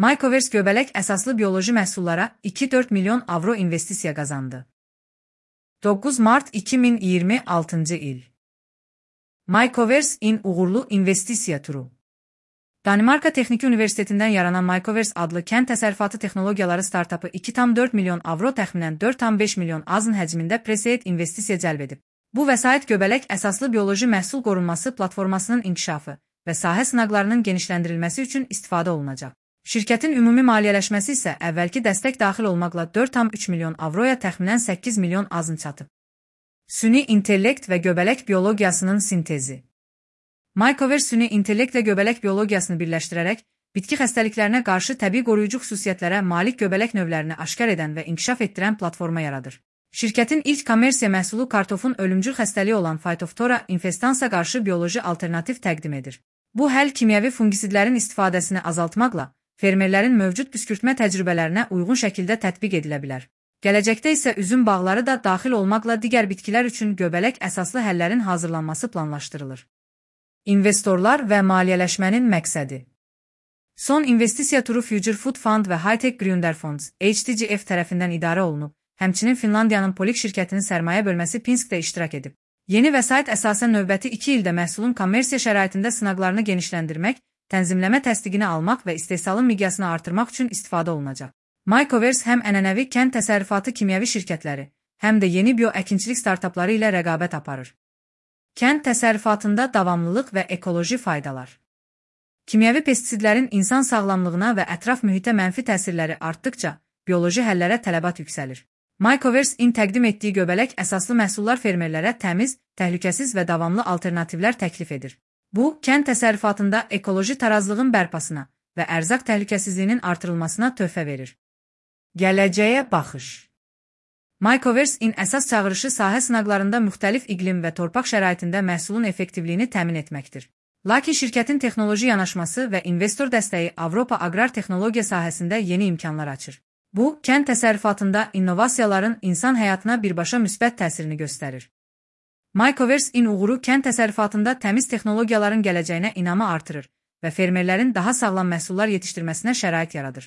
Mycoverse göbələk əsaslı bioloji məhsullara 2,4 milyon avro investisiya qazandı. 9 mart 2026 il. Mycoverse in uğurlu investisiya turu. Danimarka Texniki Universitetindən yaranan Mycoverse adlı kənd təsərrüfatı texnologiyaları startapı 2,4 milyon avro təxminən 4,5 milyon azın həcmində pre-seed investisiya cəlb edib. Bu vəsait göbələk əsaslı bioloji məhsul qorunması platformasının inkişafı və sahə sınaqlarının genişləndirilməsi üçün istifadə olunacaq. Şirkətin ümumi maliyyələşməsi isə əvvəlki dəstək daxil olmaqla 4,3 milyon avroya təxminən 8 milyon azın çatıb. Süni intellekt və göbələk biologiyasının sintezi. Mycoverse süni intellektlə göbələk biologiyasını birləşdirərək, bitki xəstəliklərinə qarşı təbii qoruyucu xüsusiyyətlərə malik göbələk növlərini aşkar edən və inkişaf etdirən platforma yaradır. Şirkətin ilk kommersiya məhsulu kartofun ölümcül xəstəliyi olan Phytophthora infestansa qarşı bioloji alternativ təqdim edir. Bu həll kimyəvi fungisidlərin istifadəsini azaltmaqla, fermerlərin mövcud püskürtmə təcrübələrinə uyğun şəkildə tətbiq edilə bilər. Gələcəkdə isə üzüm bağları da daxil olmaqla digər bitkilər üçün göbələk əsaslı həllərin hazırlanması planlaşdırılır. İnvestorlar və maliyyələşmənin məqsədi. Son investisiya turu Future Food Fund və Hightech Gründerfonds (HTGF) tərəfindən idarə olunub, həmçinin Finlandiyanın Polik şirkətinin sərmayə bölməsi Pinskdə iştirak edib. Yeni vəsait əsasən növbəti 2 ildə məhsulun kommersiya şəraitində sınaqlarını genişləndirmək, tənzimləmə təsdiqini almaq və istehsalın miqyasını artırmaq üçün istifadə olunacaq. Mycoverse həm ənənəvi kənd təsərrüfatı kimyəvi şirkətləri, həm də yeni bioəkinçilik startapları ilə rəqabət aparır. Kənd təsərrüfatında davamlılıq və ekoloji faydalar. Kimyəvi pestisidlərin insan sağlamlığına və ətraf mühitə mənfi təsirləri artdıqca, bioloji həllərə tələbat yüksəlir. Mycoverse in təqdim etdiyi göbələk əsaslı məhsullar fermerlərə təmiz, təhlükəsiz və davamlı alternativlər təklif edir. Bu, kənd təsərrüfatında ekoloji tarazlığın bərpasına və ərzaq təhlükəsizliyinin artırılmasına töhfə verir. Gələcəyə baxış. Mycoverse in əsas çağırışı sahə sınaqlarında müxtəlif iqlim və torpaq şəraitində məhsulun effektivliyini təmin etməkdir. Lakin şirkətin texnoloji yanaşması və investor dəstəyi Avropa aqrar texnologiya sahəsində yeni imkanlar açır. Bu, kənd təsərrüfatında innovasiyaların insan həyatına birbaşa müsbət təsirini göstərir. Mycoverse in uğuru kənd təsərrüfatında təmiz texnologiyaların gələcəyinə inamı artırır və fermerlərin daha sağlam məhsullar yetişdirməsinə şərait yaradır.